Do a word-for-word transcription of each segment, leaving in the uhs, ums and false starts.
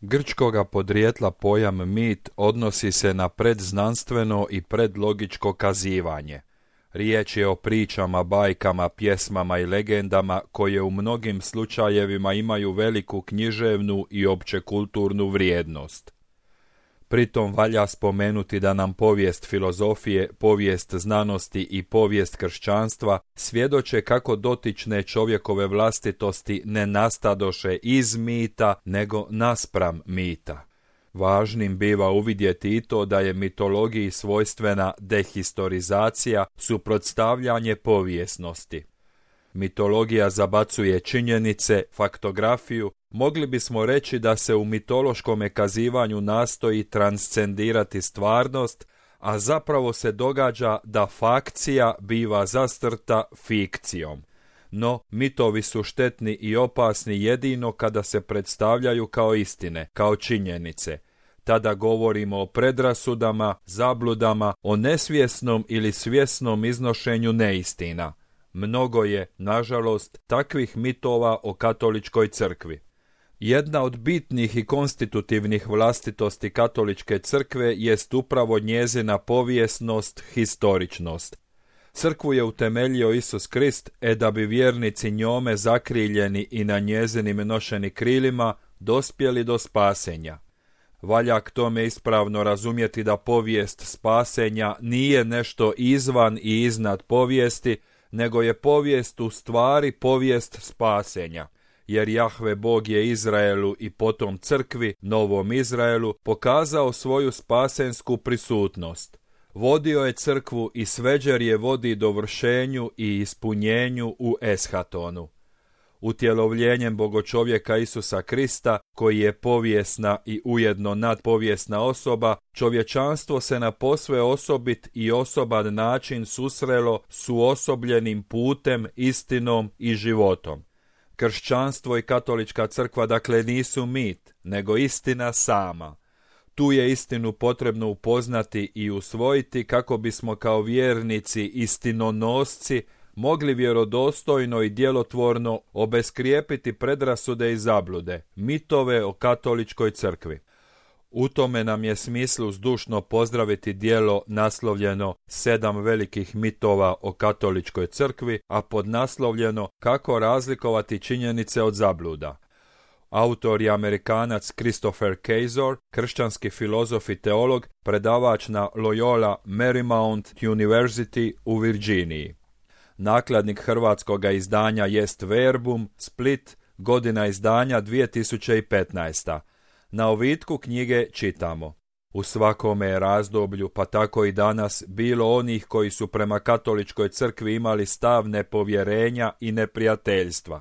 Grčkoga podrijetla pojam mit odnosi se na predznanstveno i predlogičko kazivanje. Riječ je o pričama, bajkama, pjesmama i legendama koje u mnogim slučajevima imaju veliku književnu i općekulturnu vrijednost. Pritom valja spomenuti da nam povijest filozofije, povijest znanosti i povijest kršćanstva svjedoče kako dotične čovjekove vlastitosti ne nastadoše iz mita, nego naspram mita. Važnim biva uvidjeti i to da je mitologiji svojstvena dehistorizacija, suprotstavljanje povijesnosti. Mitologija zabacuje činjenice, faktografiju. Mogli bismo reći da se u mitološkom kazivanju nastoji transcendirati stvarnost, a zapravo se događa da fakcija biva zastrta fikcijom. No, mitovi su štetni i opasni jedino kada se predstavljaju kao istine, kao činjenice. Tada govorimo o predrasudama, zabludama, o nesvjesnom ili svjesnom iznošenju neistina. Mnogo je, nažalost, takvih mitova o katoličkoj crkvi. Jedna od bitnih i konstitutivnih vlastitosti katoličke crkve jest upravo njezina povijesnost, historičnost. Crkvu je utemeljio Isus Krist, e da bi vjernici njome zakriljeni i na njezinim nošeni krilima dospjeli do spasenja. Valja k tome ispravno razumjeti da povijest spasenja nije nešto izvan i iznad povijesti, nego je povijest u stvari povijest spasenja. Jer Jahve Bog je Izraelu i potom crkvi, novom Izraelu, pokazao svoju spasensku prisutnost. Vodio je crkvu i sveđer je vodi dovršenju i ispunjenju u eshatonu. Utjelovljenjem bogočovjeka Isusa Krista, koji je povijesna i ujedno nadpovijesna osoba, čovječanstvo se na posve osobit i osoban način susrelo s uosobljenim putem, istinom i životom. Kršćanstvo i katolička crkva dakle nisu mit, nego istina sama. Tu je istinu potrebno upoznati i usvojiti kako bismo kao vjernici istinonosci mogli vjerodostojno i djelotvorno obeskrijepiti predrasude i zablude, mitove o katoličkoj crkvi. U tome nam je smislu zdušno pozdraviti djelo naslovljeno Sedam velikih mitova o katoličkoj crkvi, a podnaslovljeno Kako razlikovati činjenice od zabluda. Autor je Amerikanac Christopher Kaczor, kršćanski filozof i teolog, predavač na Loyola Marymount University u Virginiji. Nakladnik hrvatskoga izdanja jest Verbum, Split, godina izdanja dvije tisuće petnaesta. Na ovitku knjige čitamo: u svakome je razdoblju, pa tako i danas, bilo onih koji su prema katoličkoj crkvi imali stav nepovjerenja i neprijateljstva.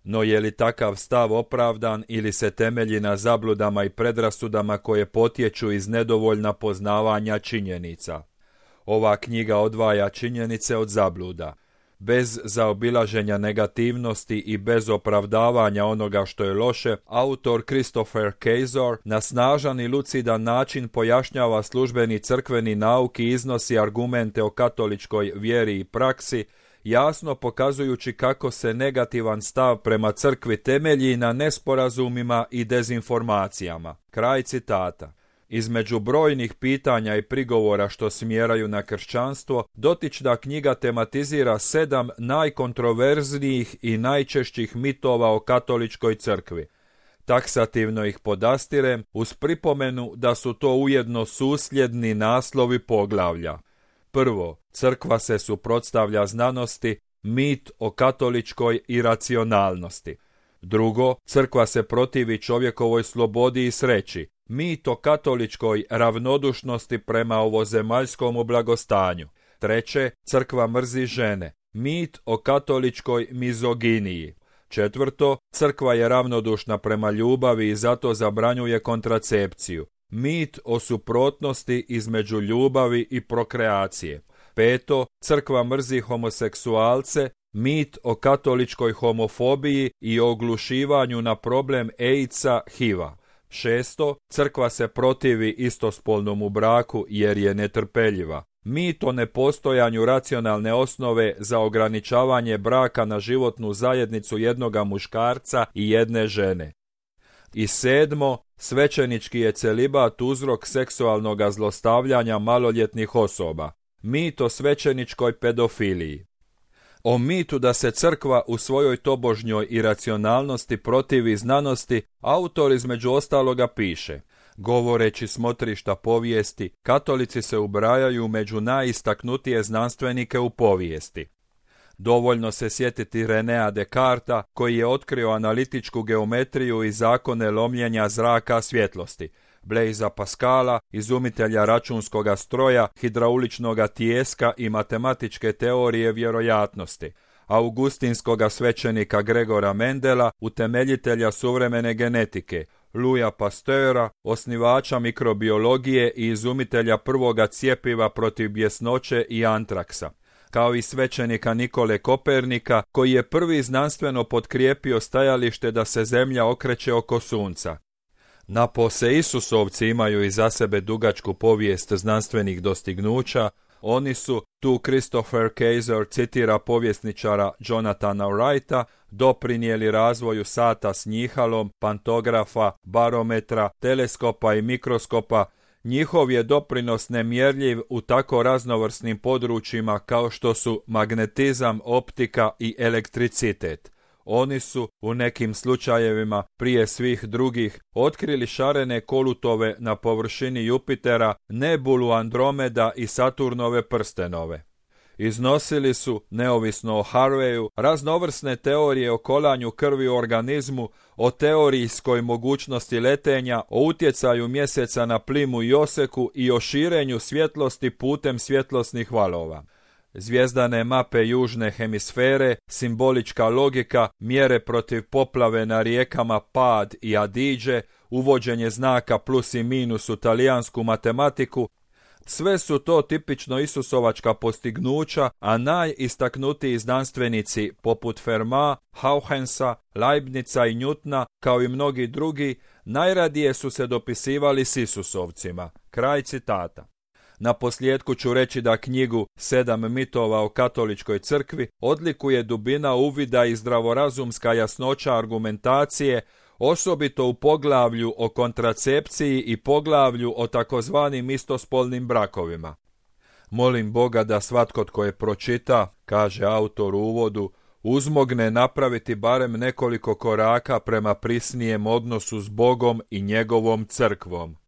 No je li takav stav opravdan ili se temelji na zabludama i predrasudama koje potječu iz nedovoljna poznavanja činjenica? Ova knjiga odvaja činjenice od zabluda. Bez zaobilaženja negativnosti i bez opravdavanja onoga što je loše, autor Christopher Kaczor na snažan i lucidan način pojašnjava službeni crkveni nauk i iznosi argumente o katoličkoj vjeri i praksi, jasno pokazujući kako se negativan stav prema crkvi temelji na nesporazumima i dezinformacijama. Kraj citata. Između brojnih pitanja i prigovora što smjeraju na kršćanstvo, dotična knjiga tematizira sedam najkontroverznijih i najčešćih mitova o katoličkoj crkvi. Taksativno ih podastirem uz pripomenu da su to ujedno susljedni naslovi poglavlja. Prvo, crkva se suprotstavlja znanosti, mit o katoličkoj iracionalnosti. Drugo, crkva se protivi čovjekovoj slobodi i sreći, mit o katoličkoj ravnodušnosti prema ovozemaljskom blagostanju. Treće, crkva mrzi žene, mit o katoličkoj mizoginiji. Četvrto, crkva je ravnodušna prema ljubavi i zato zabranjuje kontracepciju, mit o suprotnosti između ljubavi i prokreacije. Peto, crkva mrzi homoseksualce, mit o katoličkoj homofobiji i oglušivanju na problem AIDS-a, H I V-a. Šesto, crkva se protivi istospolnom braku jer je netrpeljiva. Mit o nepostojanju racionalne osnove za ograničavanje braka na životnu zajednicu jednoga muškarca i jedne žene. I sedmo, Svećenički je celibat uzrok seksualnog zlostavljanja maloljetnih osoba. Mit o svećeničkoj pedofiliji. O mitu da se crkva u svojoj tobožnjoj iracionalnosti protivi znanosti, autor između ostaloga piše: govoreći smotrišta povijesti, katolici se ubrajaju među najistaknutije znanstvenike u povijesti. Dovoljno se sjetiti Renea Descartesa, koji je otkrio analitičku geometriju i zakone lomljenja zraka svjetlosti, Blaisa Pascala, izumitelja računskoga stroja, hidrauličnoga tijeska i matematičke teorije vjerojatnosti, augustinskoga svećenika Gregora Mendela, utemeljitelja suvremene genetike, Louisa Pasteura, osnivača mikrobiologije i izumitelja prvoga cjepiva protiv bjesnoće i antraksa, kao i svećenika Nikole Kopernika, koji je prvi znanstveno potkrijepio stajalište da se zemlja okreće oko sunca. Napose Isusovci imaju iza sebe dugačku povijest znanstvenih dostignuća. Oni su, tu Christopher Kaiser citira povjesničara Jonathana Wrighta, doprinijeli razvoju sata s njihalom, pantografa, barometra, teleskopa i mikroskopa. Njihov je doprinos nemjerljiv u tako raznovrsnim područjima kao što su magnetizam, optika i elektricitet. Oni su, u nekim slučajevima, prije svih drugih, otkrili šarene kolutove na površini Jupitera, nebulu Andromeda i Saturnove prstenove. Iznosili su, neovisno o Harveyu, raznovrsne teorije o kolanju krvi u organizmu, o teorijskoj mogućnosti letenja, o utjecaju mjeseca na plimu i oseku i o širenju svjetlosti putem svjetlosnih valova. Zvijezdane mape južne hemisfere, simbolička logika, mjere protiv poplave na rijekama Pad i Adige, uvođenje znaka plus i minus u talijansku matematiku, sve su to tipično isusovačka postignuća, a najistaknutiji znanstvenici poput Ferma, Hauhensa, Leibnica i Newtona, kao i mnogi drugi, najradije su se dopisivali s Isusovcima. Kraj citata. Na posljedku ću reći da knjigu Sedam mitova o katoličkoj crkvi odlikuje dubina uvida i zdravorazumska jasnoća argumentacije, osobito u poglavlju o kontracepciji i poglavlju o takozvanim istospolnim brakovima. Molim Boga da svatko tko je pročita, kaže autor u uvodu, uzmogne napraviti barem nekoliko koraka prema prisnijem odnosu s Bogom i njegovom crkvom.